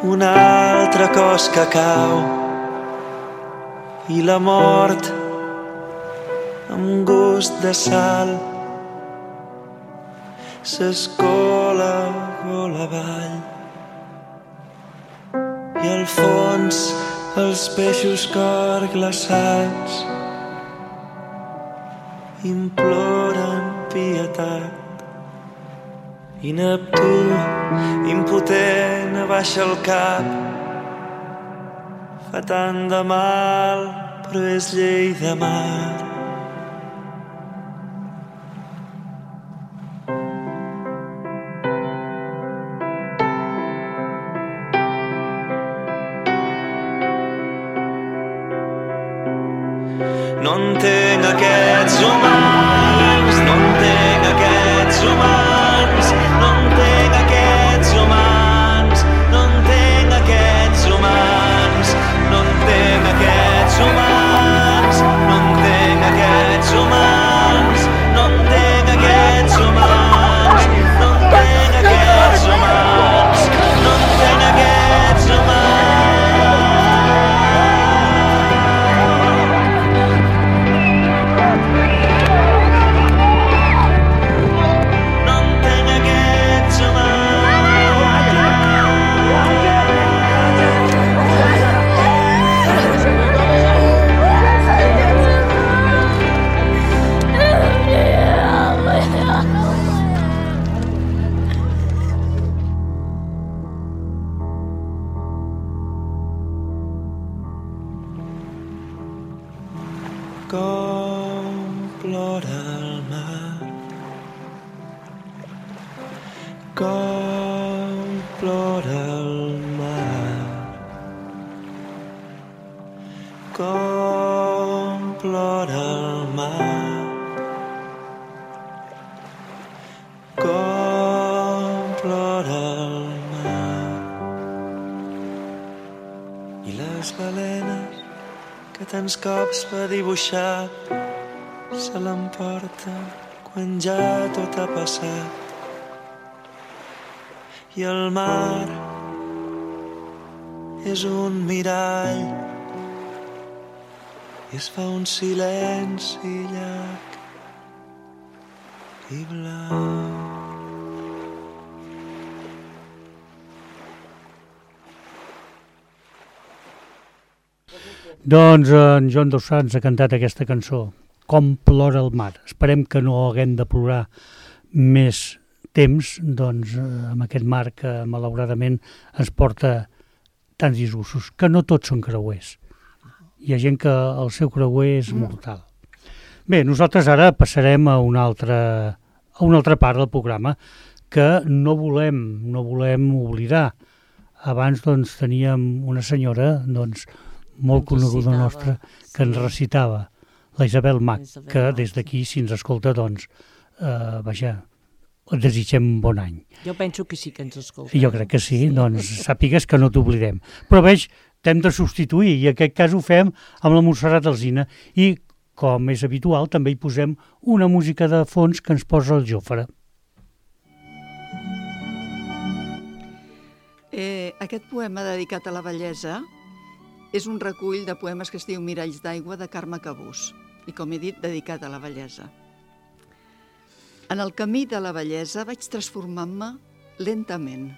un altre cos que cau, i la mort amb gust de sal s'escola gola avall, i al fons els peixos cor glaçats imploren pietat, i Neptú, impotent, abaixa el cap. Fa tant de mal, però és llei de mar. No entenc aquests humans, no entenc aquests humans, no entenc aquests humans, no entenc aquests humans, no entenc aquests humans, no entenc aquests humans, no entenc aquests humans, no entenc aquests humans, no entenc aquests humans. com plora el mar, com plora el mar, com plora el mar. I les balenes que tants cops va dibuixar se l'emporta quan ja tot ha passat. I el mar és un mirall i es fa un silenci llarg i blau. Doncs en Joan Dos Sants ha cantat aquesta cançó, Com plora el mar. Esperem que no haguem de plorar més temps, doncs, amb aquest mar que malauradament ens porta tants disgustos, que no tots són creuers. Hi ha gent que el seu creuer és mortal. Bé, nosaltres ara passarem a una altra part del programa que no volem oblidar. Abans doncs, teníem una senyora doncs, molt coneguda nostra que ens recitava, la Isabel Mach, que des d'aquí, si ens escolta, doncs, vaja, et desitgem bon any. Jo penso que sí que ens escolta. Jo crec que sí, doncs sàpigues que no t'oblidem. Però veig, t'hem de substituir, i en aquest cas ho fem amb la Montserrat Alsina. I, com és habitual, també hi posem una música de fons que ens posa el Jofre. Aquest poema dedicat a la bellesa és un recull de poemes que es diu Miralls d'aigua, de Carme Cabús, i, com he dit, dedicat a la bellesa. En el camí de la bellesa vaig transformant-me lentament.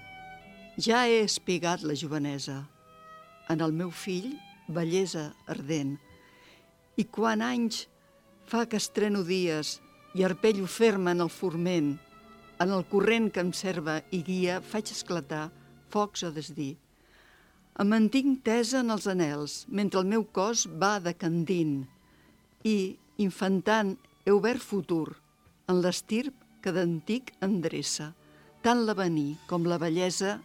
Ja he espigat la jovenesa. En el meu fill, bellesa ardent. I quan anys fa que estreno dies i arpello ferma en el forment, en el corrent que em serva i guia, faig esclatar focs a desdir. Em mantinc tesa en els anels, mentre el meu cos va decandint. I, infantant, he obert futur, en l'estirp que d'antic endreça. Tant l'avenir com la bellesa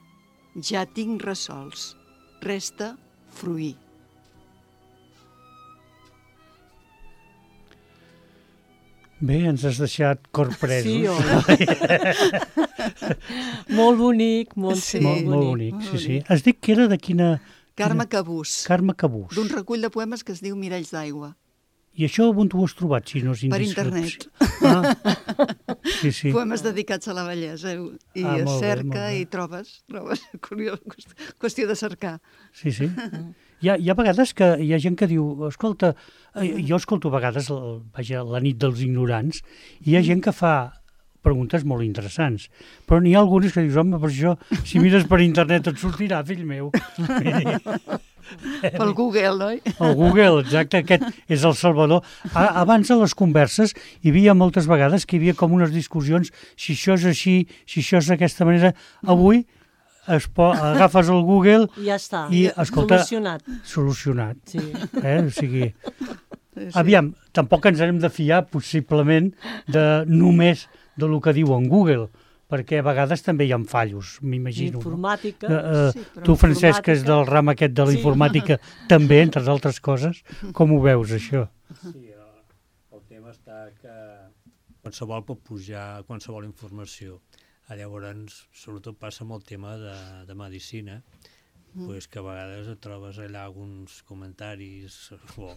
ja tinc resols. Resta fruir. Bé, ens has deixat corpresos. Sí, molt bonic, molt bonic. Sí. Has dit que era de quina... Carme Cabús. Carme Cabús. D'un recull de poemes que es diu Miralls d'aigua. I això on t'ho has trobat, si no és indiscret? Per internet. Sí. Poemes dedicats a la bellesa. I cerca i trobes. Qüestió de cercar. Sí. Hi ha vegades que hi ha gent que diu, escolta, jo escolto a vegades la nit dels ignorants, i hi ha gent que fa preguntes molt interessants, però n'hi ha algunes que dius, home, per això, si mires per internet et sortirà, fill meu. Pel Google, oi? El Google, exacte, aquest és el salvador. Abans a les converses hi havia moltes vegades que hi havia com unes discussions, si això és així, si això és d'aquesta manera. Avui agafes el Google i ja està, i, escolta, solucionat. Sí. O sigui, aviam, tampoc ens hem de fiar possiblement només del que diu en Google, perquè a vegades també hi ha fallos, m'imagino. Informàtica. Tu, Francesc, que és del ram aquest de la informàtica, també, entre altres coses, com ho veus, això? Sí, el tema està que qualsevol pot pujar qualsevol informació. Llavors, sobretot passa amb el tema de medicina, pues que a vegades et trobes allà alguns comentaris o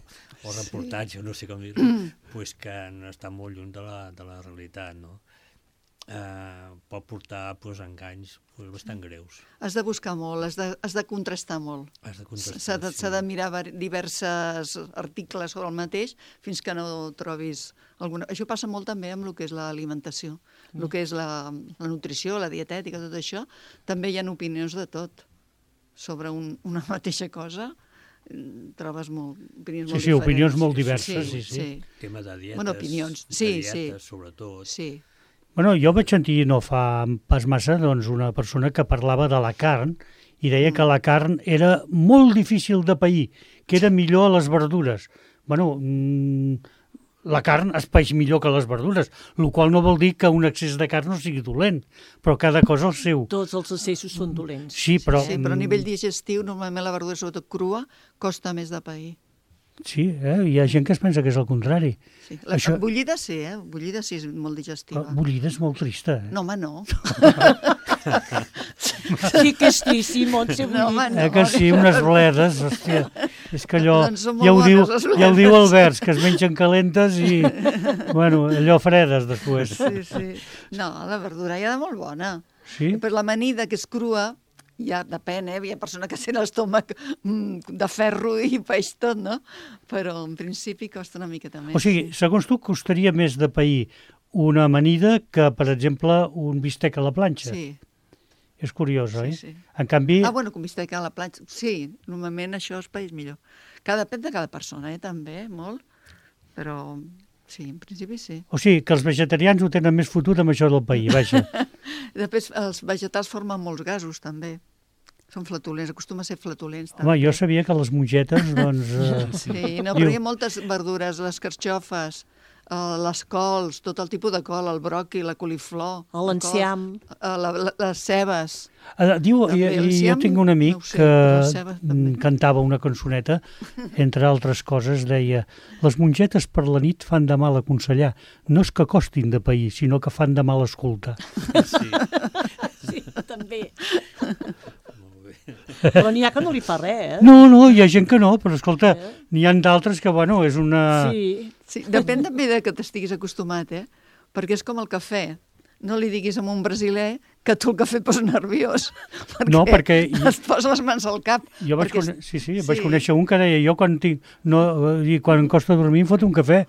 reportatges, no sé com dir-ho, pues que no estan molt lluny de la realitat, no? Pot portar enganys bastant greus. Has de buscar molt, has de contrastar molt. S'ha de mirar diversos articles sobre el mateix fins que no trobis alguna... Això passa molt també amb el que és l'alimentació, el que és la nutrició, la dietètica, tot això. També hi ha opinions de tot sobre una mateixa cosa. Trobes opinions molt diferents. Sí, opinions molt diverses, sí. Tema de dietes, bueno, opinions. Sí, sobretot. Sí. Bueno, jo vaig sentir no fa pas massa una persona que parlava de la carn i deia que la carn era molt difícil de pair, que era millor a les verdures. Bueno, la carn es paeix millor que les verdures, el qual no vol dir que un excés de carn no sigui dolent, però cada cosa el seu. Tots els excessos són dolents. Sí, però... Sí, però a nivell digestiu, normalment la verdura, sobretot crua, costa més de pair. Sí, hi ha gent que es pensa que és el contrari. Sí. Bullida sí, bullida sí és molt digestiva. Bullida és molt trista. No, home, no. Sí que és tristíssim, Montse. No, home, no. Que sí, unes bledes, hòstia. És que allò, Doncs són ja ho molt diu bones, les el bledes. Albert, que es mengen calentes i, bueno, allò fredes després. Sí, sí. No, la verdura hi ha de molt bona. Sí? Per l'amanida, que és crua, ja depèn, hi ha persona que sent l'estómac de ferro i peix tot, no? Però en principi costa una miqueta més. O sigui, segons tu, costaria més de pair una amanida que, per exemple, un bistec a la planxa? Sí. És curiós, oi? Sí. En canvi... Bueno, com bistec a la planxa. Sí, normalment això es país millor. Depèn de cada persona, també, molt. Però sí, en principi sí. O sigui, que els vegetarians ho tenen més fotut amb això del pair, vaja. Després, els vegetals formen molts gasos, també. Són flatulents, acostuma a ser flatulents. Home, jo sabia que les mongetes, doncs... Sí, no, però hi ha moltes verdures, les carxofes, les cols, tot el tipus de col, el broqui, la coliflor... L'enciam. Les cebes. Diu, jo tinc un amic que cantava una cançoneta, entre altres coses, deia: les mongetes per la nit fan de mal aconsellar, no és que costin de pair, sinó que fan de mal escoltar. Sí, també. Però n'hi ha que no li fa res, No, hi ha gent que no, però escolta, n'hi ha d'altres que, bueno, és una... Sí, depèn també de que t'estiguis acostumat, perquè és com el cafè. No li diguis a un brasiler que tu el cafè et posa nerviós. Perquè es posa les mans al cap. Jo vaig conèixer un que deia, jo quan em costa dormir em foto un cafè.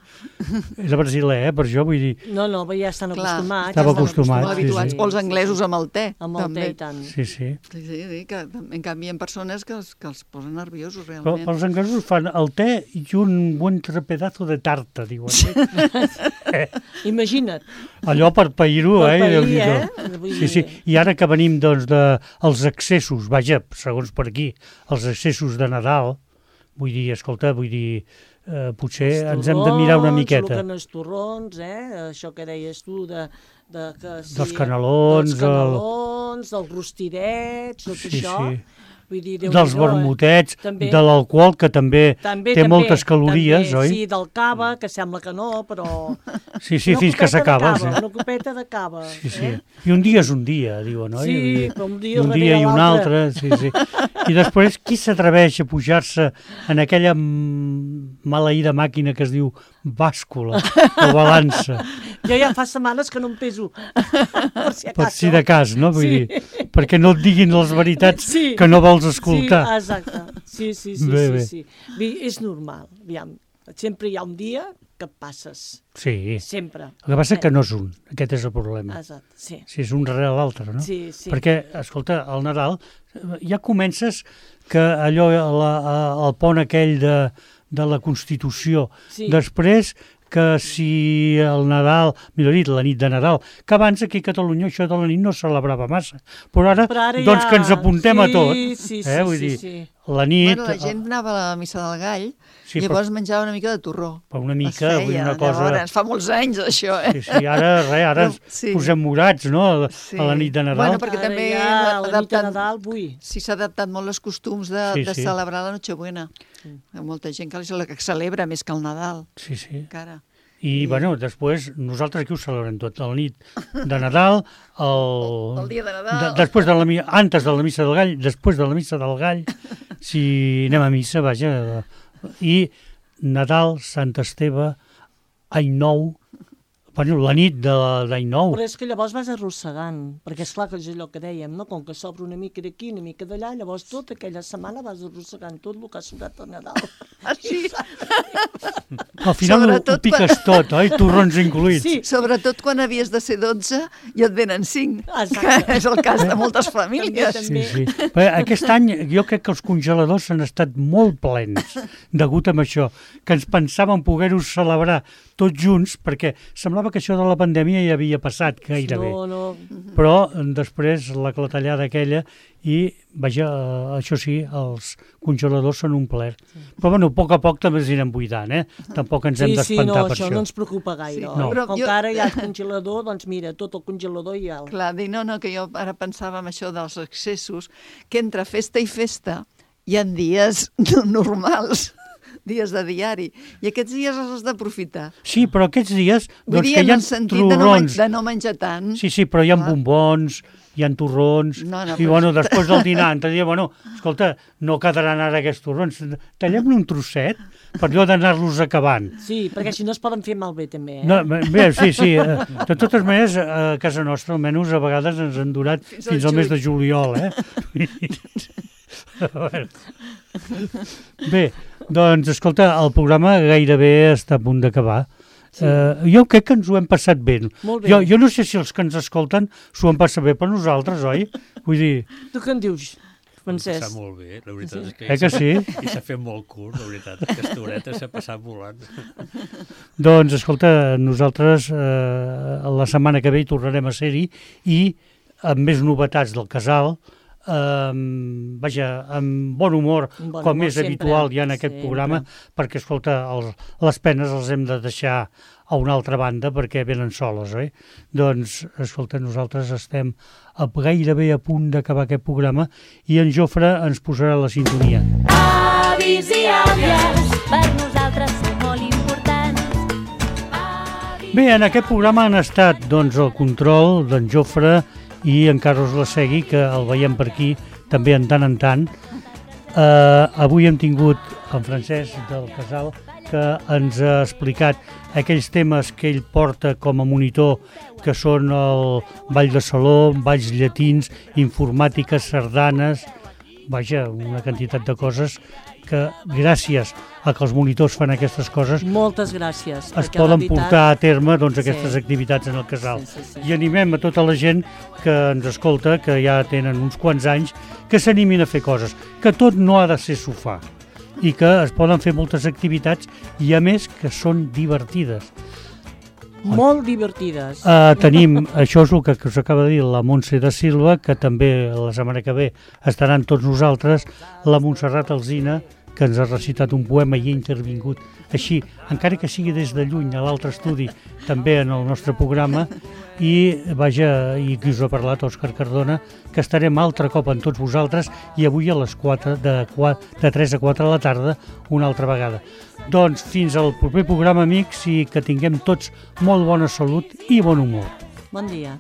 És a brasiler, per això vull dir... No, ja estan acostumats. Estava acostumat, sí. O els anglesos amb el te. Amb el te i tant. Sí. Sí, que en canvi hi ha persones que els posen nerviosos, realment. Però els anglesos fan el te i un bon pedazo de tarta, diuen. Imagina't. Allò per pair-ho, Sí. I ara que venim, doncs, dels excessos, vaja, segons per aquí, els excessos de Nadal, potser ens hem de mirar una miqueta. El que no és torrons, això que deies tu, dels canelons, dels rostidets, tot això. Vull dir, dels vermutets, de l'alcohol, que també té moltes calories, oi? Sí, del cava, que sembla que no, però... Sí, fins que s'acaba. Una copeta de cava. Sí. I un dia és un dia, diuen, oi? Sí, però un dia i un altre. Sí. I després, qui s'atreveix a pujar-se en aquella maleïda màquina que es diu bàscula o balança? Jo ja fa setmanes que no em peso, per si acaso. Per si de cas, no? Vull dir, perquè no et diguin les veritats que no vols escoltar. Sí, exacte. Sí. És normal, aviam. Sempre hi ha un dia que et passes. Sí. Sempre. El que passa que no és un. Aquest és el problema. Exacte, sí. Si és un darrere l'altre, no? Sí. Perquè, escolta, al Nadal ja comences que allò, el pont aquell de la Constitució, després que si el Nadal, millor dit, la nit de Nadal, que abans aquí a Catalunya això de la nit no es celebrava massa, però ara doncs que ens apuntem a tot. Vull dir, la nit... La gent anava a la missa del Gall, llavors menjava una mica de torró. Però una mica, vull dir, una cosa... Llavors, fa molts anys, això, Sí, ara ens posem morats, no?, a la nit de Nadal. Bueno, perquè també la nit de Nadal, sí, s'ha adaptat molt els costums de celebrar la Nochebuena. Hi ha molta gent que celebra més que el Nadal. Sí. Encara. I, bueno, després, nosaltres aquí ho celebrem tot, la nit de Nadal, el dia de Nadal, antes de la missa del Gall, després de la missa del Gall, si anem a missa, vaja, i Nadal, Sant Esteve, Any Nou, bueno, la nit d'Any Nou. Però és que llavors vas arrossegant, perquè és clar que és allò que dèiem, no? Com que s'obre una mica d'aquí, una mica d'allà, llavors tota aquella setmana vas arrossegant tot el que ha sobrat a Nadal. Sí. Al final ho piques tot, oi? Torrons incluïts. Sí, sobretot quan havies de ser 12 i et venen 5, que és el cas de moltes famílies. Sí. Aquest any jo crec que els congeladors han estat molt plens degut a això, que ens pensàvem poder-ho celebrar tots junts, perquè semblava semblava que això de la pandèmia ja havia passat gairebé. No. Però després la clatellada aquella i, vaja, això sí, els congeladors són un plaer. Però bueno, a poc també els anirem buidant, Tampoc ens hem d'espantar per això. Sí, això no ens preocupa gaire. No. Com que ara hi ha el congelador, doncs mira, tot el congelador hi ha. Clar, que jo ara pensava en això dels excessos, que entre festa i festa hi ha dies normals, dies de diari, i aquests dies els has d'aprofitar. Sí, però aquests dies, Vull dir, que hi ha torrons. De no menjar tant. Sí, però hi ha bombons, hi ha torrons, i bueno, després del dinar, escolta, no quedaran ara aquests torrons, tallem-ne un trosset per allò d'anar-los acabant. Sí, perquè si no es poden fer malbé també, No, bé, sí. De totes maneres, a casa nostra, almenys, a vegades ens han durat fins al mes de juliol, Bé, doncs, escolta, el programa gairebé està a punt d'acabar. Sí. Jo crec que ens ho hem passat bé. Molt bé. Jo no sé si els que ens escolten s'ho han passat bé per nosaltres, oi? Vull dir... Tu què en dius, Francesc? S'ha molt bé, la veritat és que... Que sí? I s'ha fet molt curt, la veritat. Aquesta horeta s'ha passat volant. Doncs, escolta, nosaltres la setmana que ve hi tornarem a ser-hi i amb més novetats del casal, vaja, amb bon humor, com és habitual ja en aquest programa, perquè, escolta, les penes els hem de deixar a una altra banda perquè venen soles, oi? Doncs, escolta, nosaltres estem gairebé a punt d'acabar aquest programa i en Jofre ens posarà la sintonia. Avis i àvies, per nosaltres són molt importants. Bé, en aquest programa han estat, doncs, el control d'en Jofre i en Carlos Lasegui, que el veiem per aquí també en tant. Avui hem tingut en Francesc del Casal, que ens ha explicat aquells temes que ell porta com a monitor, que són el ball de saló, balls llatins, informàtica, sardanes, vaja, una quantitat de coses que gràcies a que els monitors fan aquestes coses moltes gràcies, es poden portar a terme aquestes activitats en el casal. Sí. I animem a tota la gent que ens escolta, que ja tenen uns quants anys, que s'animin a fer coses, que tot no ha de ser sofà i que es poden fer moltes activitats i a més que són divertides. Molt divertides. Tenim, això és el que us acaba de dir la Montse da Silva, que també la setmana que ve estaran tots nosaltres, la Montserrat Alsina, que ens ha recitat un poema i ha intervingut així, encara que sigui des de lluny a l'altre estudi, també en el nostre programa, i vaja, i qui us ha parlat, Òscar Cardona, que estarem altre cop amb tots vosaltres i avui a les 4, de 3 a 4 de la tarda, una altra vegada. Doncs fins al proper programa, amics, i que tinguem tots molt bona salut i bon humor. Bon dia.